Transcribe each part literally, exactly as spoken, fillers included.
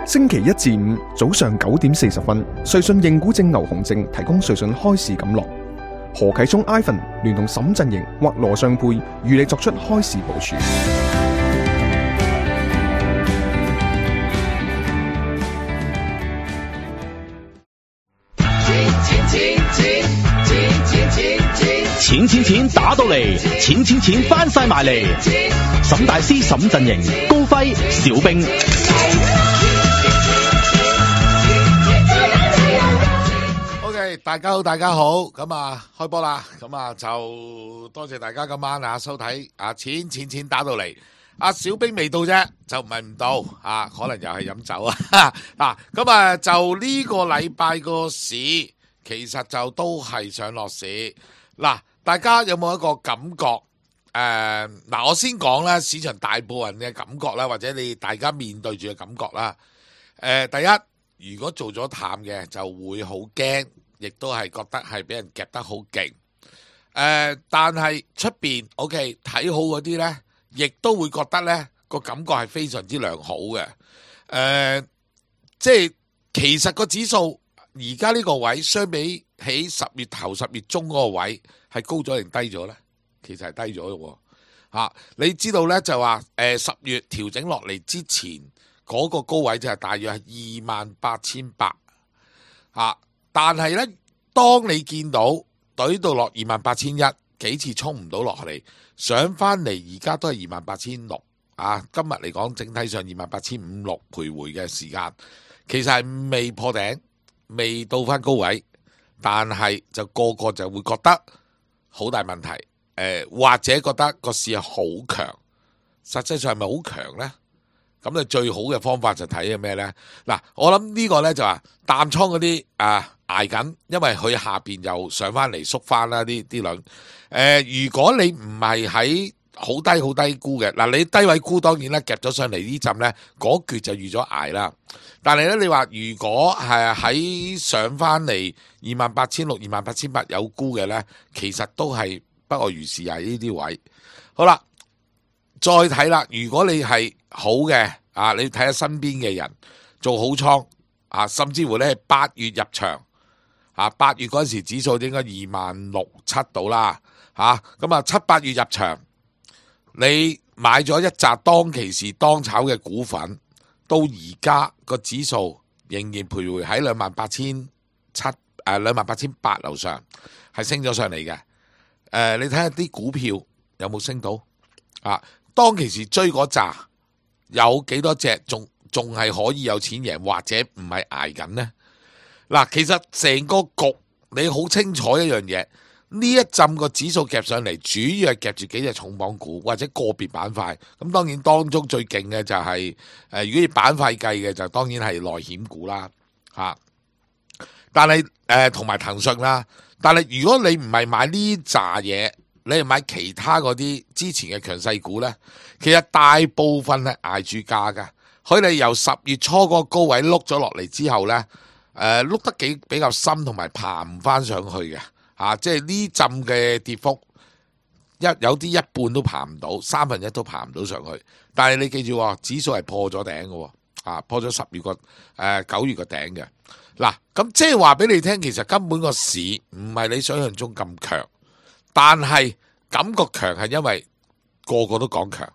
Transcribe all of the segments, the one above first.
星期一至五早上九點四十分，瑞信認股證牛熊證提供瑞信開市錦囊。何啟聰 Ivan 聯同沈振盈或羅尚佩與你作出開市部署。錢錢錢打到嚟，錢錢錢翻晒埋嚟。沈大師、沈振盈、高輝、小兵。OK， 大家好，大家好，咁啊開波啦，咁啊就多謝大家今晚啊收睇啊錢錢錢打到嚟。阿小兵未到啫，就唔係唔到啊，可能又係飲酒啊。嗱，咁啊就呢個禮拜個市其實就都係上落市嗱。大家有冇一個感覺？誒、呃、嗱，我先講啦，市場大部分嘅感覺啦，或者你大家面對住嘅感覺啦。誒、呃，第一，如果做咗淡嘅，就會好驚，亦都係覺得係俾人夾得好勁。誒、呃，但係出邊 OK 睇好嗰啲呢，亦都會覺得呢個感覺係非常之良好嘅。誒、呃，即係其實個指數而家呢個位相比起十月頭十月中嗰個位係高咗定低咗呢？其實係低咗嘅喎。你知道呢，就話誒十月調整落嚟之前嗰、那個高位就係大約係二萬八千八嚇，但係呢，當你見到懟到落二萬八千一幾次衝唔到落嚟，上翻嚟而家都係二萬八千六啊！今日嚟講整體上二萬八千五六徘徊嘅時間，其實係未破頂，未到翻高位。但係就個個就會覺得好大問題，誒、呃、或者覺得個市係好強，實際上係咪好強呢？咁你最好嘅方法就睇係咩呢？嗱，我諗呢個呢就話淡倉嗰啲啊捱緊，因為佢下邊又上翻嚟縮翻啦啲啲輪。誒、呃，如果你唔係喺好低好低沽嘅，嗱你低位沽當然啦，夾咗上嚟呢陣呢，嗰橛就預咗捱啦。但係咧，你話如果係喺上翻嚟二萬八千六、二萬八千八有沽嘅呢，其實都係不外如是啊！呢啲位好啦，再睇啦。如果你係好嘅啊，你睇下身邊嘅人做好倉啊，甚至乎咧係八月入場啊，八月嗰陣時指數應該二萬六七到啦嚇，咁啊七八月入場，你買咗一紮當其時當炒嘅股份。到而家個指數仍然徘徊喺兩萬八千七誒兩萬八千八樓上，係升咗上嚟嘅。誒、呃，你睇下啲股票有冇升到啊？當其時追嗰扎有幾多隻仲仲係可以有錢贏，或者唔係捱緊呢？嗱、啊，其實成個局你好清楚一樣嘢。呢一陣個指數夾上嚟，主要係夾住幾隻重磅股或者個別板塊。咁當然當中最勁嘅就係、是、誒、呃，如果以板塊計嘅就當然係內險股啦，嚇、啊。但係誒同埋騰訊啦。但係如果你唔係買呢扎嘢，你係買其他嗰啲之前嘅強勢股呢，其實大部分係捱住價㗎。佢哋由十月初嗰個高位碌咗落嚟之後呢，誒、呃、碌得幾比較深，同埋爬唔翻上去嘅。啊！即係呢陣嘅跌幅，一有啲一半都爬唔到，三分一都爬唔到上去。但係你記住，指數係破咗頂嘅，啊破咗十月個誒九月個頂嘅。嗱，咁即係話俾你聽，其實根本個市唔係你想象中咁強，但係感覺強係因為個個都講強。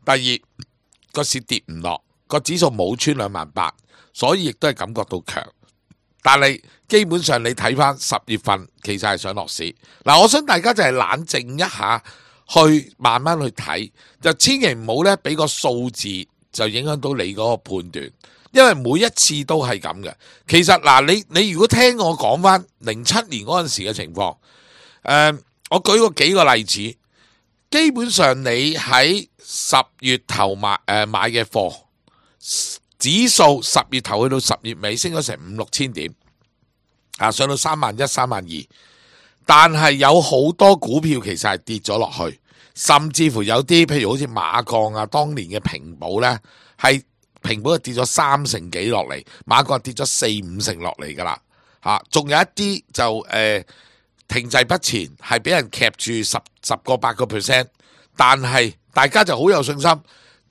第二個市跌唔落，個指數冇穿兩萬八，所以亦都係感覺到強。但係基本上你睇翻十月份其實係上落市。嗱，我想大家就係冷靜一下，去慢慢去睇，就千祈唔好咧俾個數字就影響到你嗰個判斷，因為每一次都係咁嘅。其實嗱，你你如果聽我講翻零七年嗰陣時嘅情況，誒、呃，我舉個幾個例子，基本上你喺十月頭買誒、呃、買嘅貨。指數十月頭去到十月尾升咗成五六千點，啊上到三萬一、三萬二，但係有好多股票其實係跌咗落去，甚至乎有啲譬如好似馬鋼啊，當年嘅平保呢，係平保係跌咗三成幾落嚟，馬鋼跌咗四五成落嚟噶啦，吓，仲有一啲就誒、呃、停滯不前，係俾人夾住十十個八個 percent， 但係大家就好有信心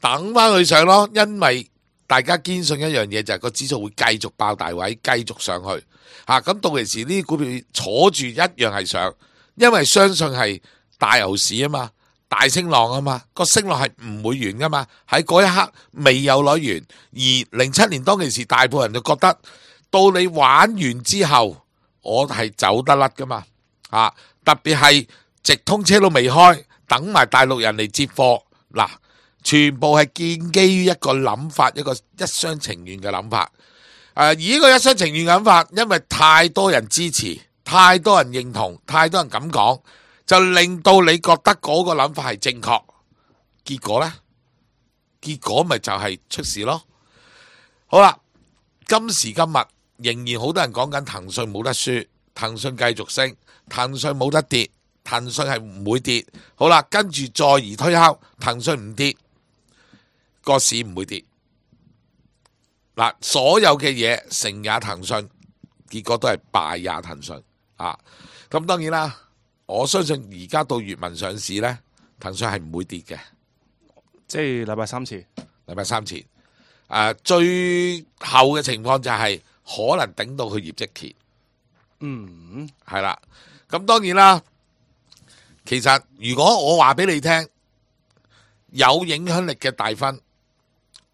等翻佢上咯，因為大家堅信一樣嘢就係個指數會繼續爆大位，繼續上去嚇。咁、啊、到時呢啲股票坐住一樣係上，因為相信係大牛市啊嘛，大升浪啊嘛，個升浪係唔會完噶嘛。喺嗰一刻未有攞完，而零七年當其時，大部分人就覺得到你玩完之後，我係走得甩噶嘛啊！特別係直通車都未開，等埋大陸人嚟接貨嗱。全部係建基於一個諗法，一個一廂情願嘅諗法。誒、呃，而呢個一廂情願嘅諗法，因為太多人支持，太多人認同，太多人咁講，就令到你覺得嗰個諗法係正確。結果呢？結果咪就係出事咯。好啦，今時今日仍然好多人講緊騰訊冇得輸，騰訊繼續升，騰訊冇得跌，騰訊係唔會跌。好啦，跟住再而推敲，騰訊唔跌。個市唔會跌，嗱，所有嘅嘢成也騰訊，結果都係敗也騰訊啊！咁當然啦，我相信而家到閱文上市呢，騰訊係唔會跌嘅，即係禮拜三前，禮拜三前，誒、啊，最後嘅情況就係可能頂到佢業績期，嗯，係啦。咁當然啦，其實如果我話俾你聽，有影響力嘅大分。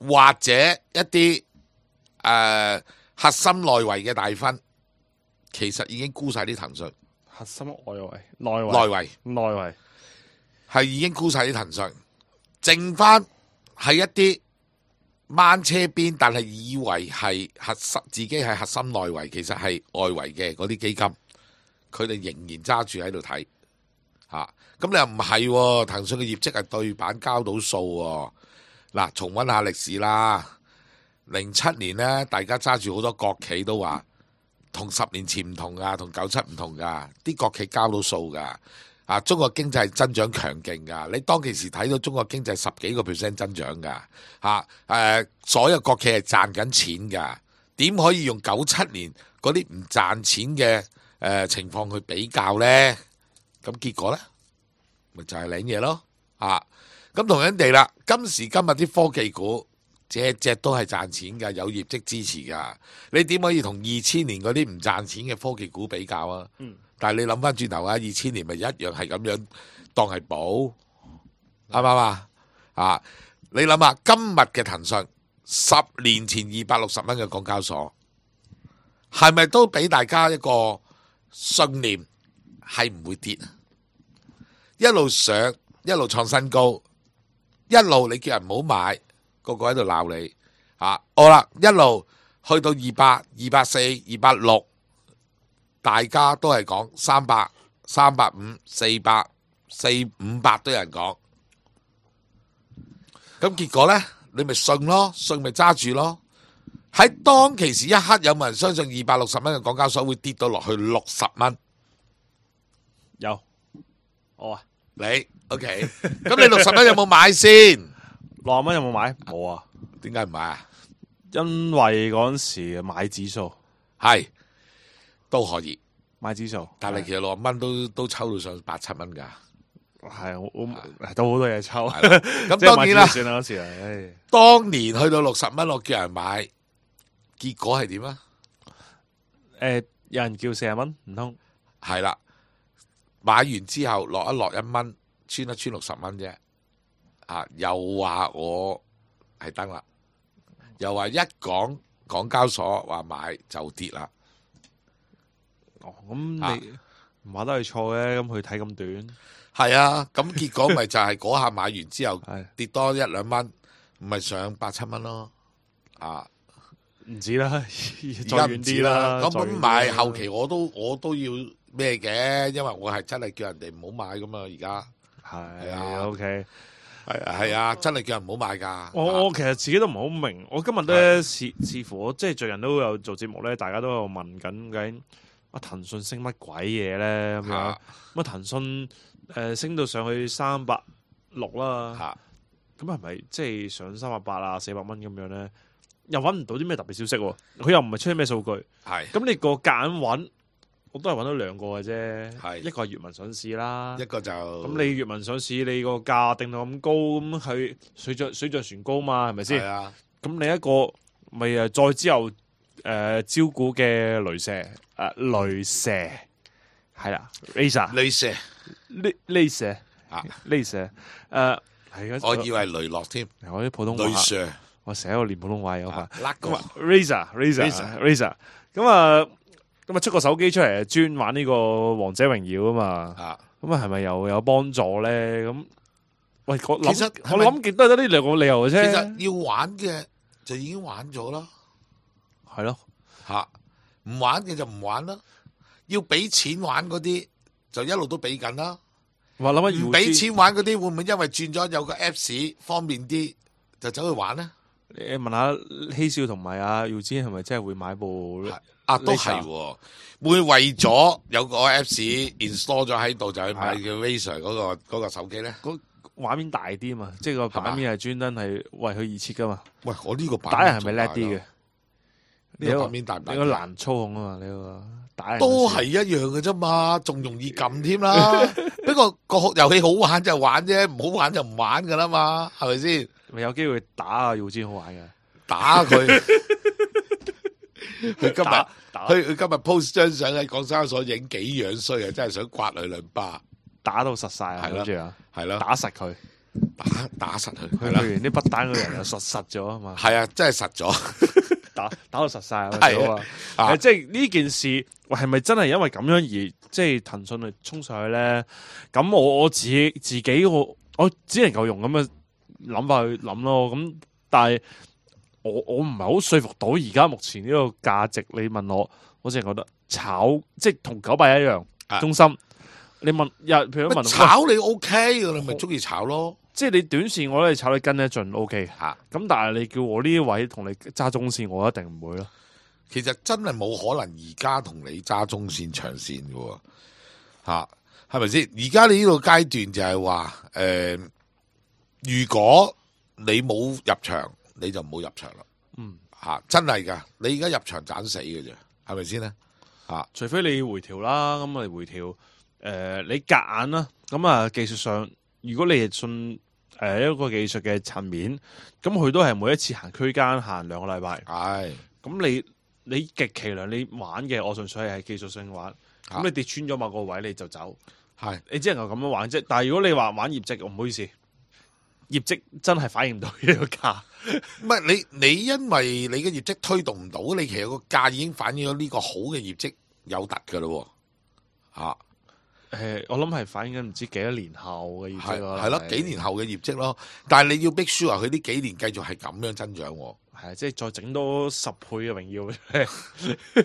或者一啲誒、呃、核心內圍嘅大分，其實已經沽晒啲騰訊。核心外圍、內圍、內圍、內圍係已經沽晒啲騰訊，剩翻係一啲掹車邊，但係以為係核心自己係核心內圍，其實係外圍嘅嗰啲基金，佢哋仍然揸住喺度睇嚇。咁你又唔係喎？騰訊嘅業績係對版交到數喎。嗱，重溫下歷史啦。零七年呢，大家揸住好多國企都話，同十年前唔同噶，同九七唔同噶，啲國企交到數噶。啊，中國經濟增長強勁噶，你當其時睇到中國經濟十幾個 percent 增長噶。嚇、啊，誒、呃，所有國企係賺緊錢噶，點可以用九七年嗰啲唔賺錢嘅誒、呃、情況去比較呢？咁結果呢，咪就係領嘢咯。啊！咁同樣地啦，今時今日啲科技股隻隻都係賺錢㗎，有業績支持㗎。你點可以同二千年嗰啲唔賺錢嘅科技股比較啊？嗯、但係你諗翻轉頭啊，二千年咪一樣係咁樣當係寶，啱唔啱啊？啊！你諗下今日嘅騰訊，十年前二百六十蚊嘅港交所，係咪都俾大家一個信念係唔會跌？一路上一路創新高。一路你叫人唔好買，個個喺度鬧你啊！好啦，一路去到二百、二百四、二百六，大家都係講三百、三百五、四百、四五百都有人講。咁結果呢，你咪信咯，信咪揸住咯。喺當其時一刻，有冇人相信二百六十蚊嘅港交所會跌到落去六十蚊？有，我啊。你 OK，咁你六十蚊有冇買先？六十蚊有冇買？冇啊。點解唔買啊？因為嗰陣時買指數係都可以買指數，但係其實六十蚊都都抽到上八七蚊噶。係我我都好多嘢抽。咁當然啦，算啦嗰時啊。當年去到六十蚊，我叫人買，結果係點啊？誒，有人叫四十蚊，唔通係啦？買完之後落一落一蚊，穿一穿六十蚊啫。啊，又話我係登啦，又話一講港交所話買就跌啦。哦，咁你唔話得係錯嘅，咁佢睇咁短。係啊，咁結果咪就係嗰下買完之後跌多一兩蚊，唔係上八七蚊咯。啊，唔止啦，而再遠啲啦。咁咁買後期我都我都要咩嘅，因為我係真係叫人哋唔好買噶嘛。而家係啊 ，OK，係啊係啊，真係叫人唔好買噶。我我其實自己都唔係好明，我今日咧似似乎我即係最近都有做節目咧，大家都有問緊究竟啊騰訊升乜鬼嘢咧咁樣。咁啊騰訊誒升到上去三百六啦，咁係咪即係上三百八啊四百蚊咁樣咧？又揾唔到啲咩特別消息喎，佢又唔係出啲咩數據。係咁你個夾硬揾，我都係揾到兩個嘅啫。係一個係閱文上市啦，一個就咁你閱文上市，你個價定到咁高，咁佢水漲水漲船高嘛，係咪先？係啊。咁另一個咪誒再之後誒、呃、招股嘅雷蛇誒、呃、雷蛇係啦 ，Razer 雷蛇雷雷蛇啊，雷蛇誒係我以為雷諾添，我啲普通話雷蛇我成日喺度練普通話有法。甩咁啊，Razer Razer Razer，咁啊，咁啊出個手機出嚟，專玩呢個王者榮耀啊嘛。啊，咁啊，係咪又有幫助咧？咁喂，我諗其實我諗極都係得呢兩個理由嘅其啫。實要玩嘅就已經玩咗啦，係咯，吓唔玩嘅就唔玩啦。要俾錢玩嗰啲就一路都俾緊啦。話諗下唔俾錢玩嗰啲會唔會因為轉咗有個 Apps 方便啲就走去玩咧？你問下希少同埋阿耀之係咪真係會買部？啊，都係喎，會為咗有個 Apps install 咗喺度就去買叫 Razer 嗰個嗰個手機咧？個畫面大啲啊嘛，即係個版面係專登係為佢而設噶嘛。喂，我呢個版打人係咪叻啲嘅？呢個版面大唔大？你個難操控啊嘛，你個打人都係一樣嘅啫嘛，仲容易撳添啦。不過個遊戲好玩就玩啫，唔好玩就唔玩噶啦嘛，係咪先？咪有機會打啊耀之好玩嘅，打佢。佢今打日佢佢今日 post 張相喺港交所影幾樣衰啊！真係想刮佢兩巴，打到實晒啊！係啦跟住啊，係咯，打實佢，打打實佢，佢係啦，去完啲不單嗰人又實實咗啊嘛，係啊，真係實咗，打打到實晒啊！係啊啊，啊即係呢件事，喂，係咪真係因為咁樣而即係騰訊去衝上去咧？咁我我自己自己我我只能夠用咁嘅諗法去諗咯。咁但係我我唔係好說服到而家目前呢個價值。你問我，我淨係覺得炒即係同九百一樣，啊中心。你問日譬如問我炒你 OK 嘅，你咪中意炒咯。即係你短線我都係炒你跟得盡 O K 嚇咁但係你叫我呢啲位同你揸中線，我一定唔會咯。其實真係冇可能而家同你揸中線長線嘅喎，嚇係咪先？而家你呢個階段就係話誒，如果你冇入場，你就唔好入場啦。嗯，嚇真係㗎，你而家入場斬死嘅啫，係咪先咧？嚇除非你回調啦，咁啊回調誒、呃，你夾硬啦，咁啊技術上，如果你係信誒、呃、一個技術嘅層面，咁佢都係每一次行區間行兩個禮拜，係咁你你極其量你玩嘅，我純粹係技術性玩，咁、啊你跌穿咗某個位你就走，係你只能夠咁樣玩啫。但係如果你話玩業績，唔好意思，業績真係反映唔到呢個價。唔係你你因為你嘅業績推動唔到，你其實個價已經反映咗呢個好嘅業績有突㗎咯喎，嚇誒，我諗係反映緊唔知幾多年後嘅業係績咯，係咯，幾年後嘅業績咯。但係你要 make sure 佢呢幾年繼續係咁樣增長喎，係即係再整多十倍嘅榮耀，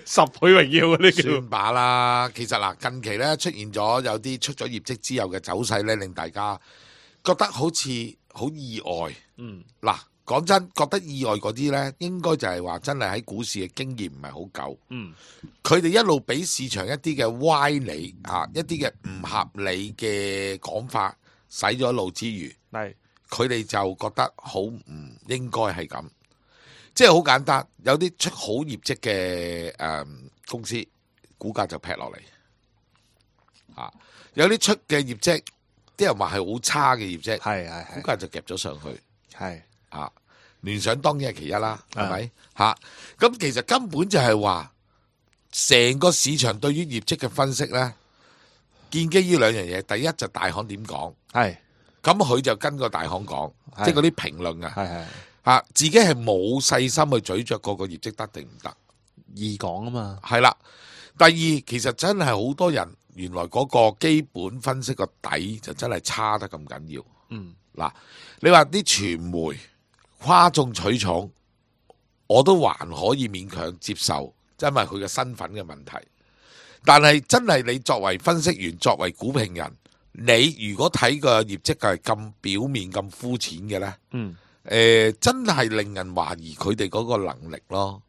十倍榮耀啊！呢叫算把啦。其實嗱，近期咧出現咗有啲出咗業績之後嘅走勢咧，令大家覺得好似好意外。嗯嗱，講真，覺得意外嗰啲咧，應該就係話真係喺股市嘅經驗唔係好夠。嗯佢哋一路俾市場一啲嘅歪理啊，一啲嘅唔合理嘅講法洗咗腦之餘，係佢哋就覺得好唔應該係咁。即係好簡單，有啲出好業績嘅誒公司，股價就劈落嚟。啊，有啲出嘅業績，啲人話係好差嘅業績，係係係股價就夾咗上去。係啊，聯想當然係其一啦，係啊咪嚇？咁、其實根本就係話，成個市場對於業績嘅分析咧，建基於兩樣嘢。第一就大行點講，係咁佢就跟個大行講，係即係嗰啲評論啊，係係嚇自己係冇細心去咀嚼個個業績得定唔得。易講啊嘛，係啦，第二其實真係好多人原來嗰個基本分析個底就真係差得咁緊要。嗯嗱，你話啲傳媒嘩眾取寵，我都還可以勉強接受，因為佢嘅身份嘅問題。但係真係你作為分析員，作為股評人，你如果睇個業績係咁表面、咁膚淺嘅呢，嗯誒、呃、真係令人懷疑佢哋嗰個能力咯。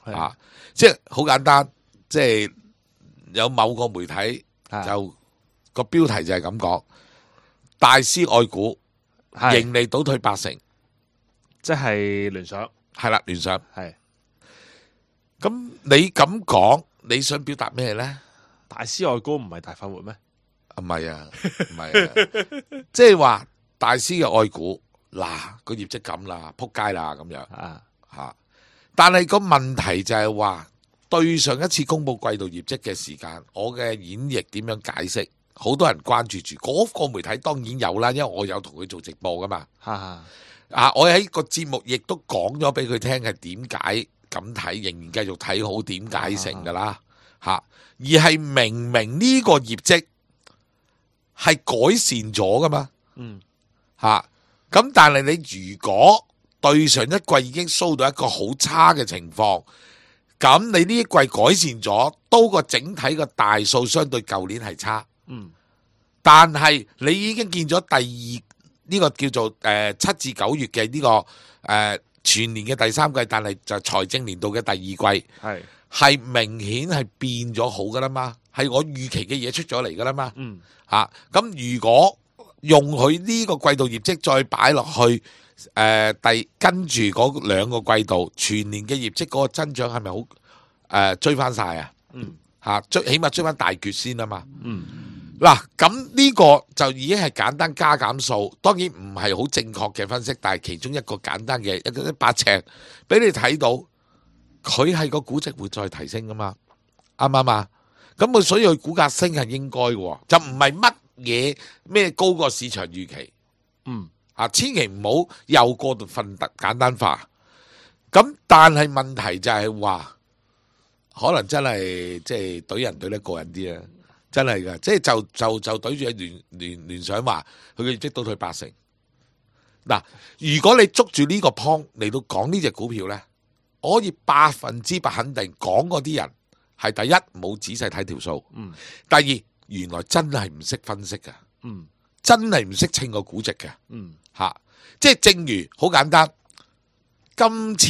係啊，即係好簡單，即係有某個媒體係就個標題就係咁講，大師愛股。係盈利倒退八成，即係聯想係啦，聯想。係咁你咁講，你想表達咩咧？大師愛股唔係大快活咩？唔係啊，唔係啊，即係話大師嘅愛股，嗱個業績咁啦，撲街啦咁樣啊嚇。但係個問題就係話，對上一次公布季度業績嘅時間，我嘅演繹點樣解釋？好多人關注住嗰、那個媒體當然有啦，因為我有同佢做直播噶嘛。哈哈啊，我喺個節目亦都講咗俾佢聽係點解咁睇，仍然繼續睇好點解成噶啦嚇。而係明明呢個業績係改善咗噶嘛，嗯嚇。咁但係你如果對上一季已經 show 到一個好差嘅情況，咁你呢一季改善咗，都個整體個大數相對舊年係差。嗯，但係你已經見咗第二呢、這個叫做誒七、呃、至九月嘅呢、這個誒、呃、全年嘅第三季，但係就財政年度嘅第二季係係明顯係變咗好噶啦嘛，係我預期嘅嘢出咗嚟噶啦嘛。嗯嚇咁、啊、如果用佢呢個季度業績再擺落去誒、呃、第跟住嗰兩個季度全年嘅業績嗰個增長係咪好誒追翻晒啊？嗯嚇追起碼追翻大橛先啊嘛。嗯。嗱，咁呢個就已經係簡單加減數，當然唔係好正確嘅分析，但係其中一個簡單嘅一個一把尺，俾你睇到佢係個估值會再提升噶嘛，啱唔啱啊？咁佢所以佢股價升係應該嘅，就唔係乜嘢咩高過市場預期，嗯啊，千祈唔好又過度分特簡單化。咁但係問題就係話，可能真係即係懟人懟得過癮啲啊！真係噶，即係就就就對住聯聯聯想話佢嘅業績倒退八成。嗱，如果你捉住呢個 point 嚟到講呢隻股票咧，我可以百分之百肯定講嗰啲人係第一冇仔細睇條數，嗯，第二原來真係唔識分析嘅，嗯，真係唔識稱個估值嘅，嗯，嚇、啊，即係正如好簡單，今次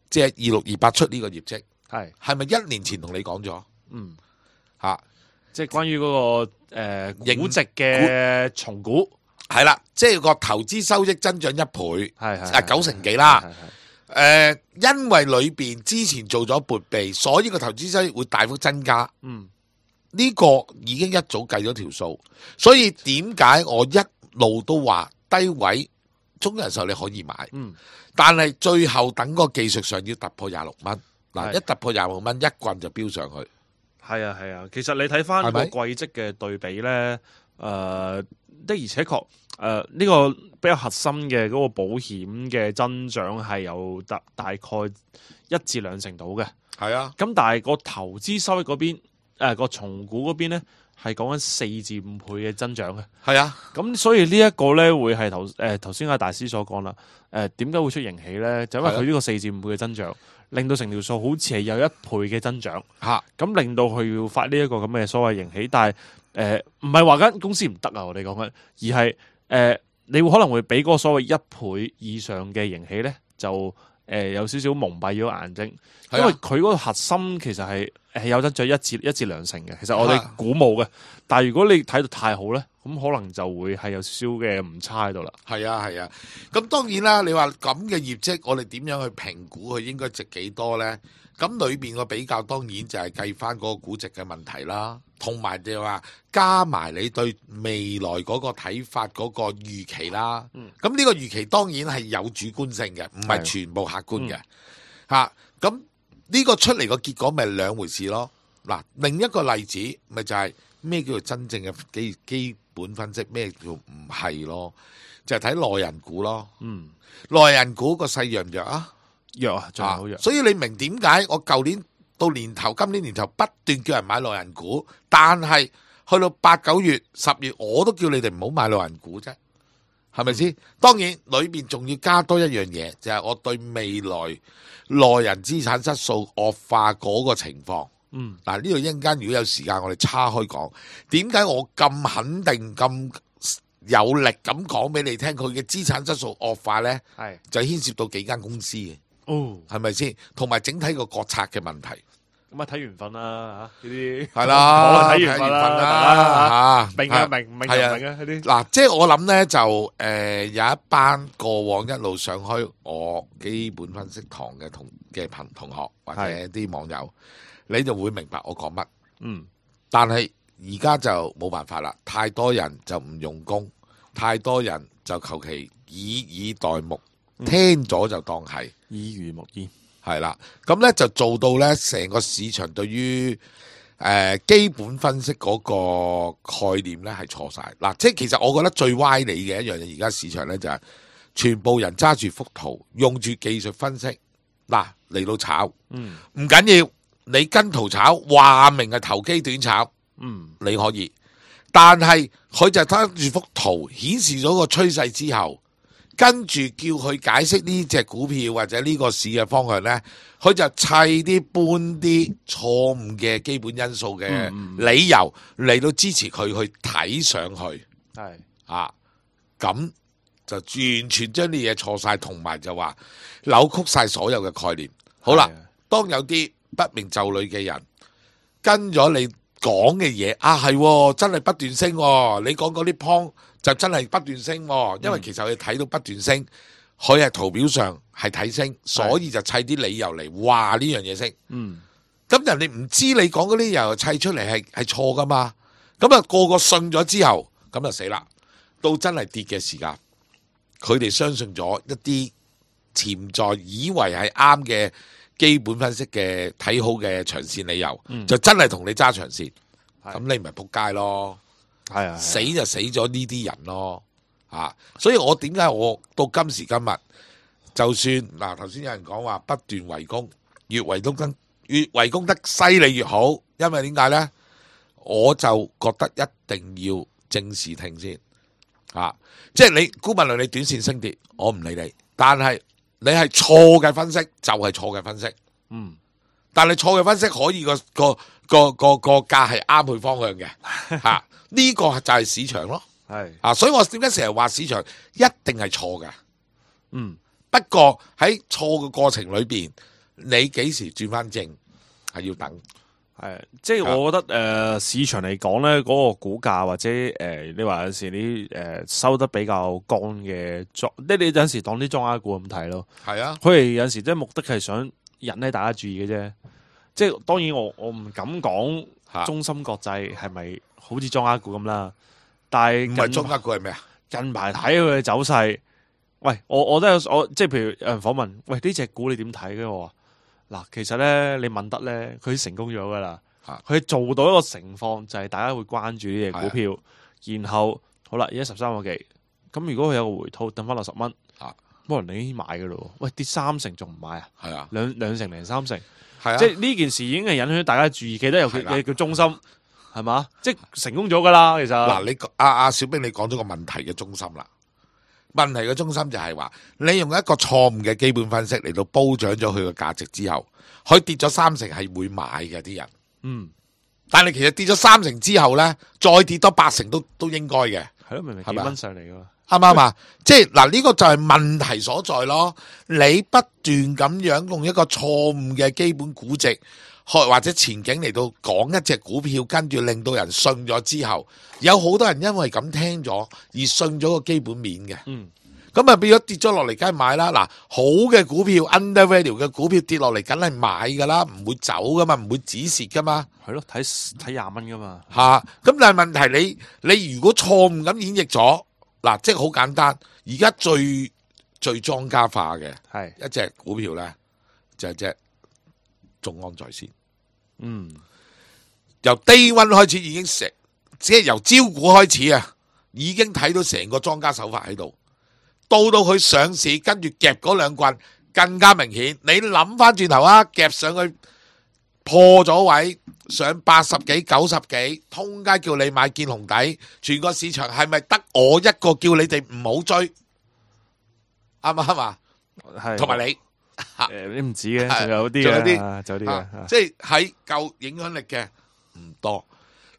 即係二六二八出呢個業績，係係咪一年前同你講咗？嗯嚇、啊。即係關於嗰、那個誒估、呃、值嘅重估，係啦，即係個投資收益增長一倍，係係啊九成幾啦。誒、呃，因為裏邊之前做咗撥備，所以個投資收益會大幅增加。嗯，呢、這個已經一早計咗條數，所以點解我一路都話低位中人壽你可以買，嗯，但係最後等個技術上要突破廿六蚊，嗱一突破廿六蚊一棍就飆上去。係啊係啊，其實你睇翻個季績嘅對比咧，誒、呃、的而且確誒呢個比較核心嘅嗰個保險嘅增長係有大大概一至兩成度嘅。係啊，咁但係個投資收益嗰邊誒個重估嗰邊咧係講緊四至五倍嘅增長嘅。係啊，咁所以呢一個咧會係頭誒頭先阿大師所講啦。誒點解會出盈喜咧？就因為佢呢個四至五倍嘅增長。令到成條數好似係有一倍嘅增長，嚇咁、啊、令到佢要發呢一個咁嘅所謂盈喜，但係誒唔係話間公司唔得啊！我哋講緊，而係誒、呃、你會可能會俾嗰個所謂一倍以上嘅盈喜咧，就誒、呃、有少少蒙蔽咗眼睛，因為佢嗰個核心其實係係有得咗一至一至兩成嘅，其實我哋估冇嘅，但係如果你睇到太好咧。咁可能就會係有少少嘅誤差喺度啦。係啊係啊，咁當然啦，你話咁嘅業績，我哋點樣去評估佢應該值幾多呢？咁裏邊個比較當然就係計翻嗰個估值嘅問題啦，同埋就話加埋你對未來嗰個睇法嗰個預期啦。咁呢、嗯、個預期當然係有主觀性嘅，唔係全部客觀嘅。嚇、咁呢、嗯、個出嚟個結果咪兩回事咯。嗱，另一個例子咪就係咩叫做真正嘅基基本分析，咩叫唔係咯？就係睇內人股咯。嗯，內人股個勢弱唔弱啊？弱啊，仲係好弱。所以你明點解我舊年到年頭，今年年頭不斷叫人買內人股，但係去到八九月、十月，我都叫你哋唔好買內人股啫，係咪先？當然裏邊仲要加多一樣嘢，就係、是、我對未來內人資產質素惡化嗰個情況。嗯，嗱，呢度一陣間如果有時間，我哋叉開講，點解我咁肯定、咁有力咁講俾你聽，佢嘅資產質素惡化呢？係是就牽涉到幾間公司嘅，哦，係咪先？同埋整體個國策嘅問題。咁啊，睇緣分啦嚇，呢啲係啦，睇緣分啦嚇，明啊明，唔明就唔明啊呢啲。嗱，即係我諗呢，就誒、呃、有一班過往一路上開我基本分析堂嘅同嘅朋同學或者啲網友。你就會明白我講乜，嗯，但係而家就冇辦法啦，太多人就唔用功，太多人就求其以以待目，聽咗就當係耳濡目染，係啦。咁咧就做到咧成個市場對於誒、呃、基本分析嗰個概念咧係錯晒。嗱，即係其實我覺得最歪理嘅一樣嘢，而家市場咧就係、是、全部人揸住幅圖，用住技術分析嗱嚟到炒，嗯，唔緊要，你跟圖炒，話明係投機短炒，嗯，你可以。但係佢就睇住幅圖顯示咗個趨勢之後，跟住叫佢解釋呢隻股票或者呢個市嘅方向呢，佢就砌啲搬啲錯誤嘅基本因素嘅理由嚟到支持佢去睇上去，係啊，咁就完全將啲嘢錯晒，同埋就話扭曲晒所有嘅概念。好啦，當有啲不明就裡嘅人跟咗你講嘅嘢啊，係真係不斷升，你講嗰啲 point 就真係不斷升，因為其實佢睇到不斷升，佢係圖表上係睇升，所以就砌啲理由嚟話呢樣嘢升。嗯，咁人哋唔知你講嗰啲理由砌出嚟係係錯噶嘛，咁啊個個信咗之後，咁就死啦。到真係跌嘅時間，佢哋相信咗一啲潛在以為係啱嘅基本分析嘅睇好嘅長線理由，嗯、就真係同你揸長線，咁你咪仆街咯，係啊，死就死咗呢啲人咯，啊！所以我點解我到今時今日，就算嗱頭先有人講話不斷圍攻，越圍攻得越圍攻得犀利越好，因為點解呢？我就覺得一定要正視聽先，啊！即係你姑勿論你短線升跌，我唔理你，但係你係錯嘅分析就係錯嘅分析，嗯，但係錯嘅分析可以個個個個個價係啱佢方向嘅，吓、啊、呢、這個就係市場咯，係啊，所以我點解成日話市場一定係錯嘅，嗯，不過喺錯嘅過程裏邊，你幾時轉翻正係要等。係，即係我覺得誒、呃、市場嚟講咧，嗰、那個股價或者誒、呃、你話有時啲誒、呃、收得比較乾嘅莊，即係你有陣時當啲莊家股咁睇咯。係啊，佢哋有陣時即係目的係想引起大家注意嘅啫。即係當然我我唔敢講中芯國際係咪好似莊家股咁啦，但係唔係莊家股係咩啊？近排睇佢嘅走勢，喂，我我都有我即係譬如有人訪問，喂呢隻股你點睇嘅？我話嗱，其實咧你問得咧，佢成功咗噶啦，佢做到一個情況就係大家會關注呢隻股票，然後好啦，而家十三個幾，咁如果佢有個回吐，等翻落十蚊，冇人你已經買噶咯，喂跌三成仲唔買啊？係啊，兩兩成零三成，係啊，即係呢件事已經係引起大家注意，記得有佢叫中心係嘛，即係成功咗噶啦，其實嗱，你阿阿小兵你講咗個問題嘅中心啦。問題嘅中心就係話，你用一個錯誤嘅基本分析嚟到褒獎咗佢嘅價值之後，佢跌咗三成係會買嘅啲人，嗯，但係其實跌咗三成之後呢，再跌多八成都都應該嘅，係咯，明明幾蚊上嚟噶嘛，啱唔啱啊？即係嗱，呢個就係問題所在咯。你不斷咁樣用一個錯誤嘅基本估值，或者前景嚟到講一隻股票，跟住令到人信咗之後，有好多人因為咁聽咗而信咗個基本面嘅。嗯，咁啊變咗跌咗落嚟，梗係買啦。嗱，好嘅股票 undervalue 嘅股票跌落嚟，梗係買噶啦，唔會走噶嘛，唔會止蝕噶嘛。係咯，睇睇廿蚊噶嘛。吓、啊，咁但係問題你你如果錯誤咁演繹咗，嗱，即係好簡單。而家最最莊家化嘅係一隻股票咧，就係隻眾安在線。嗯，由 day one 開始已經成，即係由招股開始啊，已經睇到成個莊家手法喺度。到到佢上市，跟住夾嗰兩棍更加明顯。你諗翻轉頭啊，夾上去破咗位，上八十幾、九十幾，通街叫你買見紅底，全個市場係咪得我一個叫你哋唔好追？啱唔啱啊？係，同埋你。誒，你唔止嘅，仲有啲嘅，仲有啲嘅，即係喺夠影響力嘅唔多。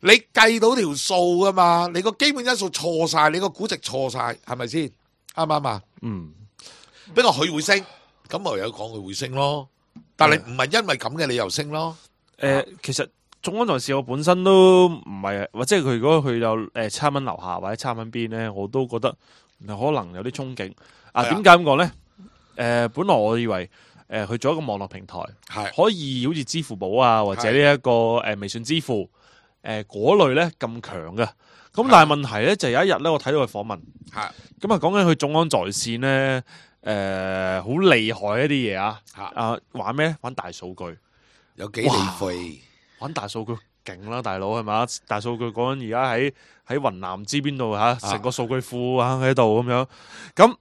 你計到條數噶嘛？你個基本因素錯晒，你個估值錯晒，係咪先？啱唔啱啊？嗯。不過佢會升，咁咪有講佢會升咯。但係唔係因為咁嘅理由升咯。誒，其實眾安在線我本身都唔係，或者佢如果佢有誒七蚊樓下或者七蚊邊咧，我都覺得可能有啲憧憬。啊，點解咁講咧？誒、呃，本來我以為誒，去、呃、做一個網絡平台，係可以好似支付寶啊，或者呢、這、一個誒、呃、微信支付誒嗰、呃、類咧咁強嘅。咁但係問題咧就有一日咧，我睇到佢訪問，係咁啊，講緊佢眾安在線咧，誒好厲害一啲嘢啊！嚇啊玩咩？玩大數據，有幾利費？玩大數據勁啦，大佬係嘛？大數據講緊而家喺喺雲南唔知邊度嚇，成個數據庫啊喺度咁樣。咁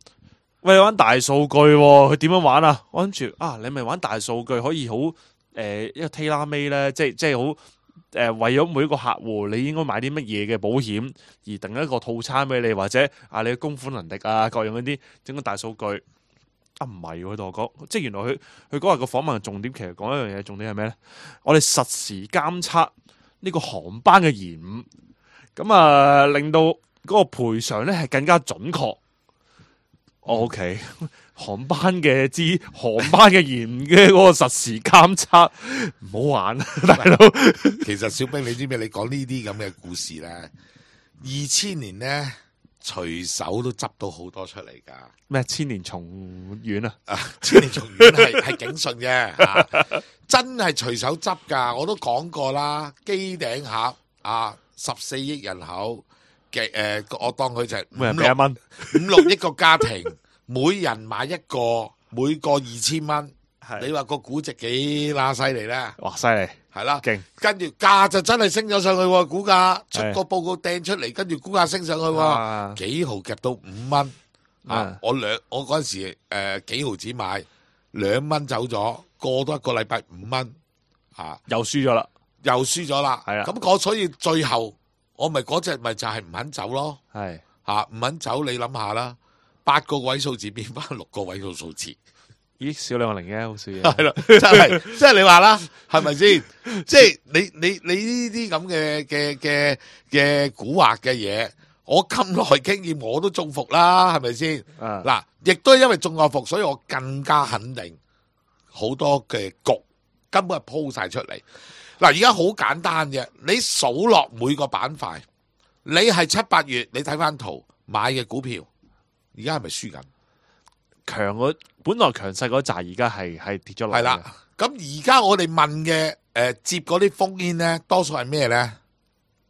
喂玩大數據喎，佢點樣玩啊？我諗住啊，你咪玩大數據可以好誒、呃、一個 tailor made 咧，即係即係好。誒、呃、為咗每一個客戶，你應該買啲乜嘢嘅保險，而定一個套餐俾你，或者啊你嘅供款能力啊各樣嗰啲整個大數據啊唔係佢同我講，即係原來佢佢嗰日個訪問嘅重點其實講一樣嘢，重點係咩咧？我哋實時監測呢個航班嘅延誤，咁啊令到嗰個賠償咧係更加準確。O K， 航班嘅知航班嘅延誤嘅嗰個實時監測，唔好玩啊，大佬。其實小兵，你知唔知？你講呢啲咁嘅故事咧，二千年咧隨手都執到好多出嚟噶。咩千年蟲丸啊？啊，千年蟲丸係係警訊啫，啊、真係隨手執噶。我都講過啦，機頂盒啊，十四億人口。嘅誒、呃，我當佢就係五六蚊，五六億個家庭，每人買一個，每個二千蚊。你話個估值幾乸犀利咧？哇，犀利，係啦，勁。跟住價就真係升咗上去喎，股價出個報告掟出嚟，跟住股價升上去喎，啊、幾毫夾到五蚊啊！我兩我嗰陣時誒、呃、幾毫子買，兩蚊走咗，過多一個禮拜五蚊啊，又輸咗啦，又輸咗啦。係啦，咁我所以最後。我咪嗰隻咪就係唔肯走咯，係吓唔肯走，你諗下啦，八個位數字變翻六個位數數字，咦少兩個零嘅好少嘢，係啦，真係即係你話啦，係咪先？即係你你你呢啲咁嘅嘅嘅嘅蠱惑嘅嘢，我咁耐經驗我都中伏啦，係咪先？嗱，亦都係因為中過伏，所以我更加肯定好多嘅局根本係鋪晒出嚟。嗱，而家好簡單嘅，你數落每個板塊，你係七八月，你睇翻圖買嘅股票，而家係咪輸緊？強嗰本來強勢嗰扎，而家係係跌咗落嚟。係啦，咁而家我哋問嘅誒、呃、接嗰啲烽煙咧，多數係咩咧？誒、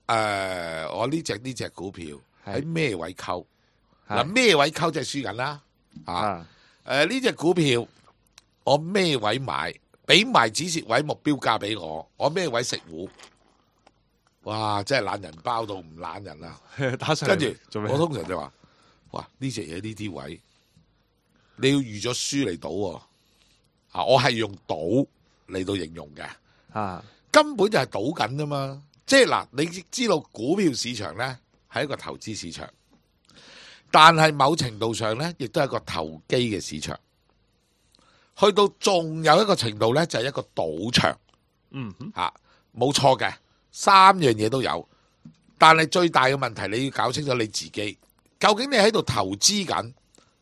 呃，我呢隻呢隻股票喺咩位溝？嗱，咩位溝就係輸緊啦。啊，誒呢隻股票我咩位買？俾埋止蝕位目標價俾我，我咩位食糊？哇！真係懶人包到唔懶人啦！跟住我通常就話：哇！呢隻嘢呢啲位，你要預咗輸嚟賭喎。啊，我係用賭嚟到形容嘅。啊，根本就係賭緊啫嘛。即係嗱，你知道股票市場咧係一個投資市場，但係某程度上咧，亦都係一個投機嘅市場。去到仲有一個程度咧，就係、是、一個賭場，嗯吓，冇錯嘅，三樣嘢都有。但係最大嘅問題，你要搞清楚你自己，究竟你喺度投資緊，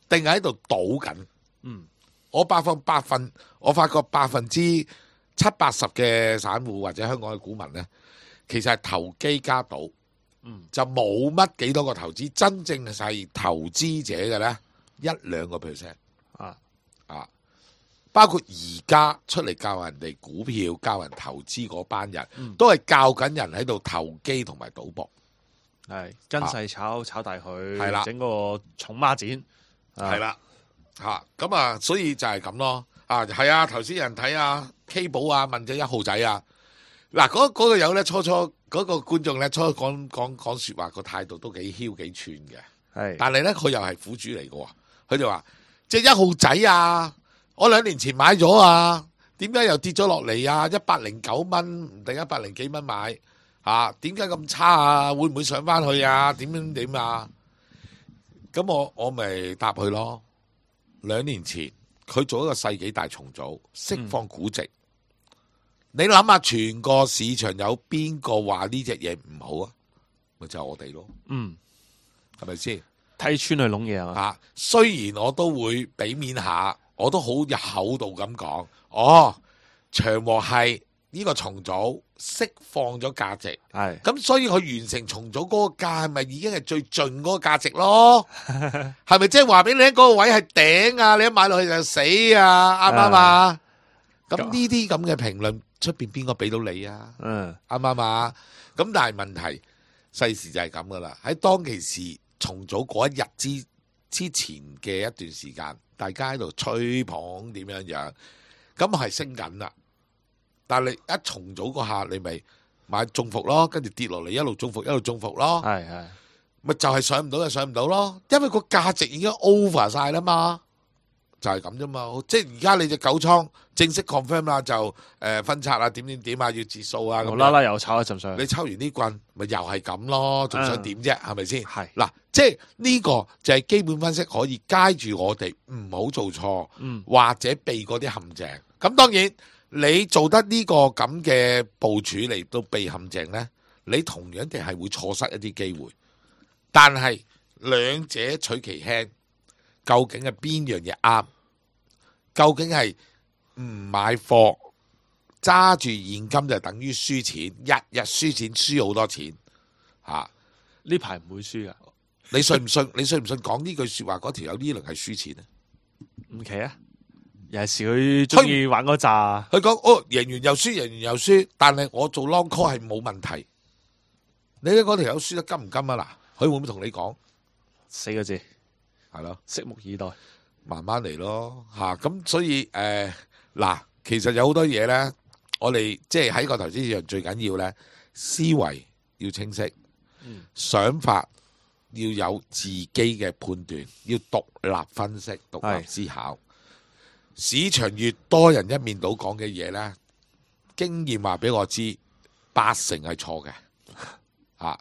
定係喺度賭緊？嗯，我百分百分，我發覺百分之七八十嘅散戶或者香港嘅股民咧，其實係投機加賭，嗯，就冇乜幾多個投資，真正係投資者嘅咧，一兩個 percent 啊啊！包括而家出嚟教人哋股票、教人投資嗰班人，嗯、都係教緊人喺度投機同埋賭博，係跟勢炒、啊、炒大佢，係啦，整個重孖展，係啦，吓咁啊，所以就係咁咯。啊，係啊，頭先有人睇啊 K 寶啊，問咗一號仔啊，嗱嗰嗰個友咧，初初嗰、嗰個觀眾咧，初初講講講說話個態度都幾囂幾串嘅，係，但係咧佢又係苦主嚟嘅，佢就話即係一號仔啊。我兩年前買咗啊，點解又跌咗落嚟啊？一百零九蚊唔定一百零幾蚊買吓，點解咁差啊？會唔會上翻去啊？點樣點啊？咁我我咪答佢咯。兩年前佢做一個世紀大重組，釋放估值。嗯、你諗下，全個市場有邊個話呢隻嘢唔好啊？咪就係、是、我哋咯。嗯，係咪先睇穿去攏嘢啊？吓，雖然我都會俾面下。我都好有厚道咁講，哦，長和係呢個重組釋放咗價值，係咁，所以佢完成重組嗰個價係咪已經係最盡嗰個價值咯？係咪即係話俾你聽嗰個位係頂啊？你一買落去就死啊？啱唔啱啊？咁呢啲咁嘅評論出邊邊個俾到你啊？嗯，啱唔啱啊？咁但係問題世事就係咁噶啦，喺當其時重組嗰一日之之前嘅一段時間，大家喺度吹捧點樣樣，咁係升緊啦。但係你一重組嗰下，你咪買中伏咯，跟住跌落嚟一路中伏一路中伏咯，係係咪就係上唔到就上唔到咯，因為個價值已經 over 晒啦嘛。就係咁啫嘛，即係而家你隻九倉正式 confirm 啦，就誒、呃、分拆啊，點點點啊，要截數啊，咁無啦啦又炒一陣上去，你抽完呢棍，咪又係咁咯，仲想點啫？係咪先？係嗱，即係呢個就係基本分析，可以街住我哋唔好做錯，嗯，或者避嗰啲陷阱。咁當然你做得呢個咁嘅部署嚟到避陷阱呢，你同樣地係會錯失一啲機會。但係兩者取其輕。究竟係邊樣嘢啱？究竟係唔買貨揸住現金就等於輸錢，日日輸錢，輸好多錢嚇。呢排唔會輸噶，你信唔信？你信唔信講呢句説話嗰條友呢輪係輸錢啊？唔奇啊！尤其是佢中意玩嗰扎，佢講哦，贏完又輸，贏完又輸，但係我做 long call 係冇問題。你睇嗰條友輸得金唔金啊？嗱，佢會唔會同你講四個字？係咯，拭目以待，慢慢嚟咯嚇。咁、啊、所以誒嗱、呃，其實有好多嘢咧，我哋即係喺個投資市場最緊要咧，思維要清晰，嗯、想法要有自己嘅判斷，要獨立分析、獨立思考。市場越多人一面倒講嘅嘢咧，經驗話俾我知，八成係錯嘅嚇。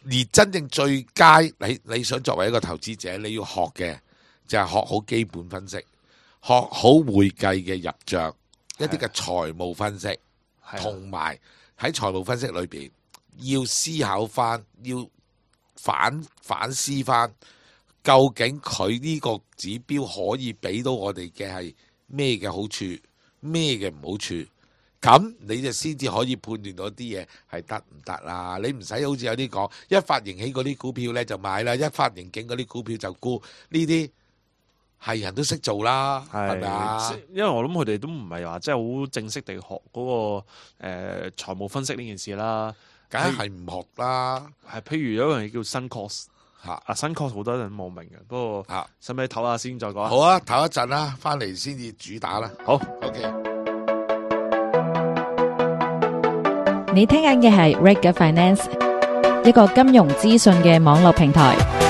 而真正最佳，你你想作為一個投資者，你要學嘅就係學好基本分析，學好會計嘅入帳，一啲嘅財務分析，同埋喺財務分析裏邊要思考翻，要反反思翻，究竟佢呢個指標可以俾到我哋嘅係咩嘅好處，咩嘅唔好處。咁你就先至可以判斷到啲嘢係得唔得啦。你唔使好似有啲講一發盈喜嗰啲股票呢就買啦，一發盈警嗰啲股票就沽，呢啲係人都識做啦，係咪啊？因為我諗佢哋都唔係話即係好正式地學嗰、那個誒、呃、財務分析呢件事啦，梗係唔學啦。係譬如有一樣嘢叫新 course 嚇，啊新 course 好多人冇明嘅，不過嚇使唔使唞下先再講？好啊，唞一陣啦，翻嚟先至主打啦。好 ，OK。你聽緊嘅係 Reg Finance，一個金融資訊嘅網絡平台。